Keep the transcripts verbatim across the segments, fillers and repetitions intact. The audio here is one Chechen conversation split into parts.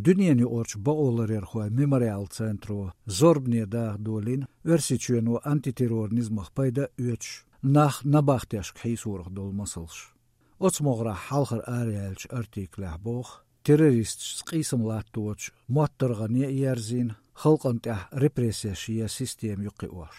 Дуьненаюкъарчу бакъоларъярхойн «Мемориал» центро зорбане даха долийна Оьрсийчоьно антитеррор низамах пайда а оьцуш, нах набахтешка хьийсорах долу масалш. Оцу могӀарехь хьалхара араяьллачу артиклехь боху, террористашца къийсам латточу моттаргӀане а ерзийна, халкъана тӀехь репрессеш ен система ю кхиош.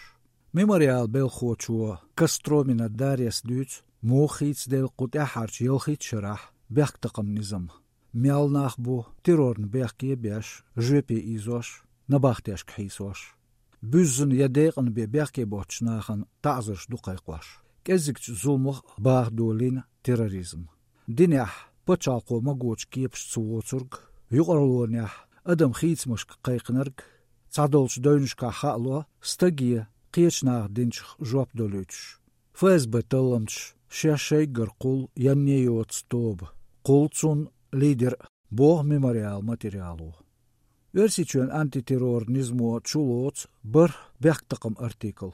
«Мемориал» белхахочо Костромина Дарьяс дуьйцу, муха хийцаделла кху тӀаьххьарчу ялхитта шарахь бехктакхаман низам, мел нах бу террорна бехке а беш, жоьпе ийзош, набахтешка хьийсош. Буьззина я декъана бен бехке боцучу нахана таӀзарш ду кхайкхош. КӀеззигчу зуламах баха долийна терроризм. Динехь пачхьалкхо магочу кепашца воцург, юкъарлонехь адам хийцамашка кхайкхинарг, цхьадолчу девнашкахь хаало стаге кхечу наха динчух жоп долуьйтуш. ФСБ талламчаш шаьш шайггара кхуллу, янне йоцу тоба, кхуллу цунна лидер а, боху «Мемориал» материало. Оьрсийчоьнан антитеррор низамо чулоцу бархӀ бехктакхаман артикл: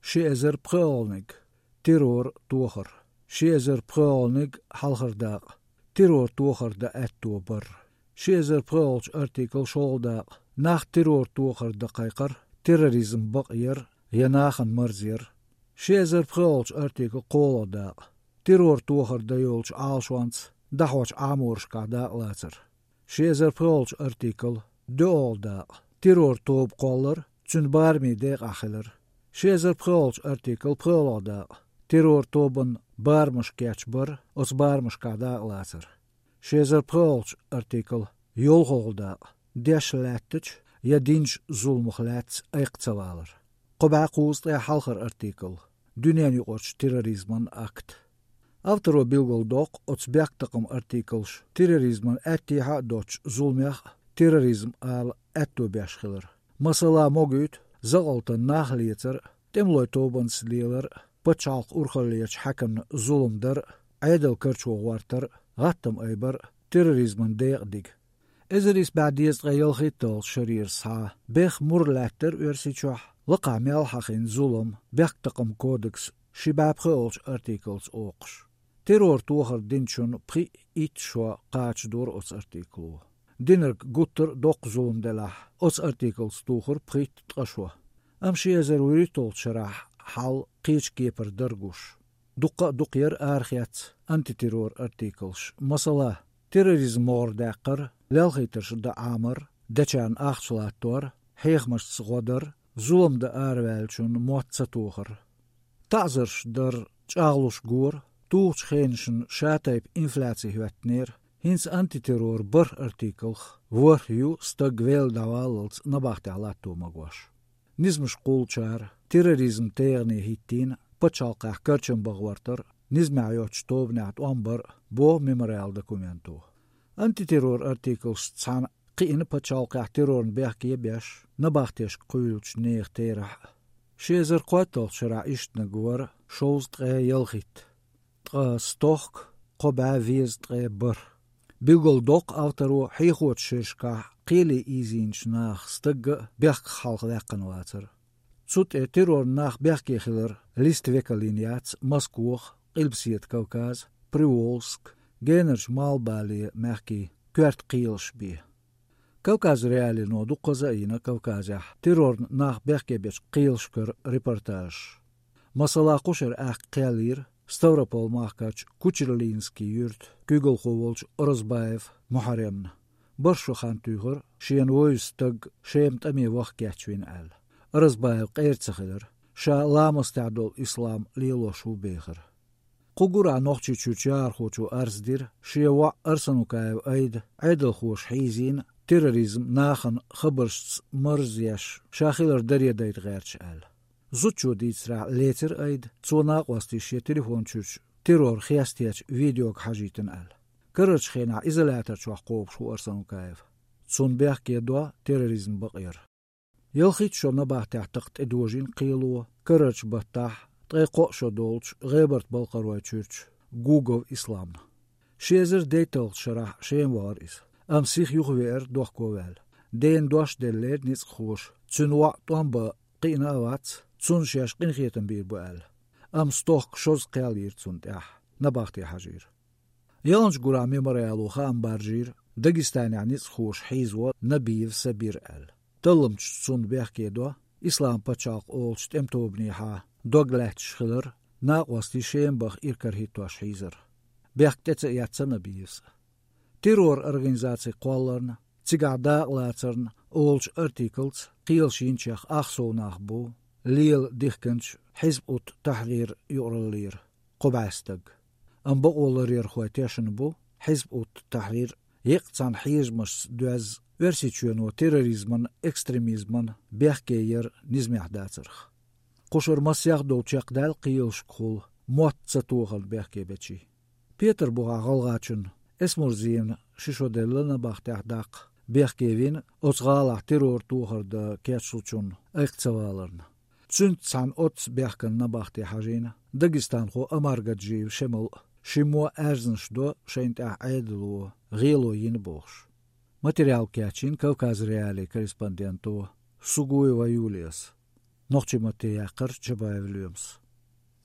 ши эзар пхоьалгӀаниг — террор тохар, ши эзар пхоьалгӀаниг — хьалхара дакъа — террор тохар дан аьтто бар, ши эзар пхоьалгӀачу артикл — шолгӀа дакъа — нах террор тохар дан кхайкхар, терроризм бакъ яр я нахана марзъяр, ши эзар пхоьалгӀачу артикл — кхоалгӀа дакъа — террор тохар дан йолчу Ӏалашонца дӀахьочу Ӏаморашкахь дакъалацар, ши эзар пхоьалгӀачу артикл — доьалгӀа дакъа — террор тоба кхоллар, цуьнан барамийн декъахь хилар, ши эзар пхоьалгӀачу артикл — пхоьалгӀа дакъа — террор тобанан барамаш кечбар, оцу барамашкахь дакъалацар, ши эзар пхоьалгӀачу артикл — йолхалгӀа дакъа — деш лаьттачу я динчу зуламах лаьцна айкх ца валар. Кхо бӀе кхузткъе хьалхара артикл — дуьненаюкъарчу терроризман акт. Авторо билгалдоккху оцу бехктакхаман артиклаша терроризман аьттехьа а доцучу зуламех а терроризм ала аьтто беш хилар. Масала, могуьйту закъалтана нах лецар а, тӀемалойн тобанца лелар а, пачхьалкхан урхаллерчу хьаькамна зулам дар а, Ӏедал карчо гӀортар а, гӀаттам айбар а терроризман декъан дига. Эзар исс бӀе дезткъе ялхитталгӀачу шарера схьа беха мур лаьттара Оьрсийчохь, лакхахь мел хьахийна зулам бехктакхаман кодексан ши бӀе пхоьалгӀачу артиклаца оккхуш. Террор тохар динчунна пхиъ-итт шо кхачадора оцу артикло. Динарг гуттар а доккха зулам делахь, оцу артиклаца тухура пхийтта-ткъа шо. Амма ши эзар вуьрхӀитталгӀачу шарахь хьал кхечу кепара дара гуш. Дуккха а дукха яра арахецна антитеррор артиклаш. Масала, терроризм могӀара даьккхар, лелхийтарш дан Ӏамар, дечарна ахча латтор, хьехамашца гӀо дар, зулам дан араваьллачунна мотт ца тохар, таӀзарш дар, чӀагӀлуш гора, тухучу хенашна шатайпа инфляци хӀоьттинера, хӀинца антитеррор бархӀ артиклах ворхӀ ю стаг велла дӀаваллалц набахтехь латто магош. Низамаш кхуллучара терроризм тегӀане хӀиттийна пачхьалкхехь карчам бан гӀортар, низамехь йоцчу тобанехь тӀом бар а, боху «Мемориал» документо. Антитеррор артиклашца цхьаьна кхиъна пачхьалкхехь террорна бехке а беш, набахтешка кхуьйлучу нехан терахь а. Ши эзар кхойтталгӀачу шарахь ишттаниг вара шовзткъе ялхитта. Ткъа стохка кхо бӀе везткъе бархӀ. Билгалдоккху авторо хьехочу шерашкахь кхеле ийзийначу наха стагга а бехках хьалха ваьккхина вацар. Цу тӀе террорна нах бехке хилар листа векал йина яц Москвах, Къилбаседа Кавказ, Приволжск, генарчу Малхбале мехкийн коьрта кхелаш бен. Кавказ.Реалиино дуккхаза а йина Кавказехь террорна нах бехке бечу кхелашкара репортажаш. Масала, кху шарахь аьхка кхел йира Ставрополь-махкарчу Кучерлинский юьртан куьйгалхо волчу Оразбаев Мухьаремна. БархӀ шо хан туьйхира, шена вевза стаг Шема тӀаме ваха кечвина аьлла. Оразбаев къера ца хилира, ша ламастехь долу ислам лелош ву бехира. Кху гурахь Нохчийчуьрчу яхархочо арз дира, шен воӀ Арсанукаев Айда Ӏедалхоша хьийзийна, терроризм нахана хабаршца марзъеш, ша хилар даре дайта гӀерташ аьлла. Зудчо дийцарехь, лецира Айда, цо накъостий шен телефон чуьрчу террор хестечу видеога хьажийтина аьлла. Карарчу хенахь изолятор чохь кхобуш ву Арсанукаев. Цунна бехке до терроризм бакъ яр. Ялхитта шо набахтехь такха тӀедожийна кхело карарчу баттахь, ткъе кхоъ шо долчу ГӀебарта-Балкхаройчуьрчу Гугов Исламна. Ши эзар дейтталгӀачу шарахь Шема вахара иза, амма сиха юхавеара дохко а ваьлла. Дена дош деллера ницкъахоша, цуьнан воӀ тӀом бан кхиъна а вац, цунна шаьш къинхетам бийр бу аьлла. Амма стохка шозза кхел йира цунна тӀехь, набахте хьажийра. Ялханчу гурахь «Мемориало» хаам баржийра Дагестанехь ницкъахоша хьийзаво Набиев Сабир аьлла. Талламчаш цунна бехке до Ислам-пачхьалкх олучу тӀеман тобанехьа дог лаьтташ хилар, накъостий Шема баха иракарахӀиттош хьийзар. Бехк тӀе ца эцна Набиевс а. Террор-организаци кхолларна, цигахь дакъалацарна олучу артиклаца кхелаш йинчех ах сов нах бу лела дихкинчу Хьизб ут-Тахьрир юкъараллера кхо бӀе стаг. Амма бакъо ларъярхой тешна бу Хьизб ут-Тахьрир еккъа цхьана хьежамашца доьзна Оьрсийчоьно терроризман, экстремизман бехке яр низамехь дацарх. Кхушара массех а долу чекхдаьлла кхелашкахула мотт ца тохарна бехке бечий. Петарбухахь гӀалгӀачунна Эсмурзиевна ши шо делла набахтехь даккха бехке вина оцу гӀалахь террор тохар дан кечлучунна айкх ца валарна. Цуьнца цхьаьна оццу бехкан набахте хьажийна дагестанхо Омаргаджиев Шемал а, шиммо аьрзнаш до шайна тӀехь Ӏедало гӀело йина бохуш. Материал кечйина Кавказ.Реалии корреспонденто Сугуева Юлияс. Нохчийн матте яьккхира Чабаев Лоьмас.